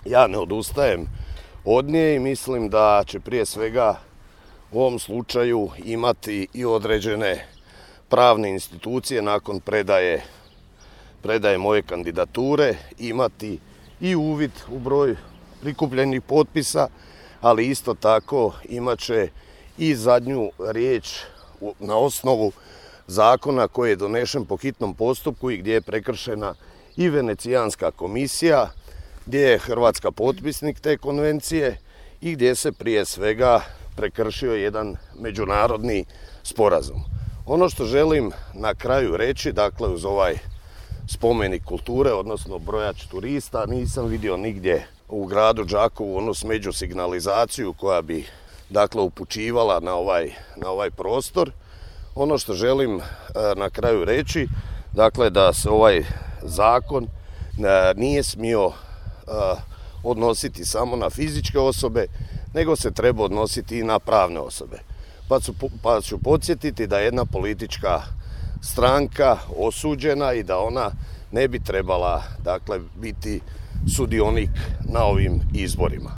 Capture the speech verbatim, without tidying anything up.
ja ne odustajem od nje i mislim da će prije svega u ovom slučaju imati i određene pravne institucije nakon predaje, predaje moje kandidature, imati i uvid u broj prikupljenih potpisa, ali isto tako imat će i zadnju riječ na osnovu zakona koji je donešen po hitnom postupku i gdje je prekršena i Venecijanska komisija, gdje je Hrvatska potpisnik te konvencije i gdje se prije svega prekršio jedan međunarodni sporazum. Ono što želim na kraju reći, dakle uz ovaj spomenik kulture, odnosno brojač turista, nisam vidio nigdje u gradu Đakovu onu smeđu signalizaciju koja bi dakle upućivala na ovaj, na ovaj prostor. Ono što želim na kraju reći, dakle da se ovaj zakon nije smio odnositi samo na fizičke osobe, nego se treba odnositi i na pravne osobe. Pa ću, pa ću podsjetiti da je jedna politička stranka osuđena i da ona ne bi trebala dakle biti sudionik na ovim izborima.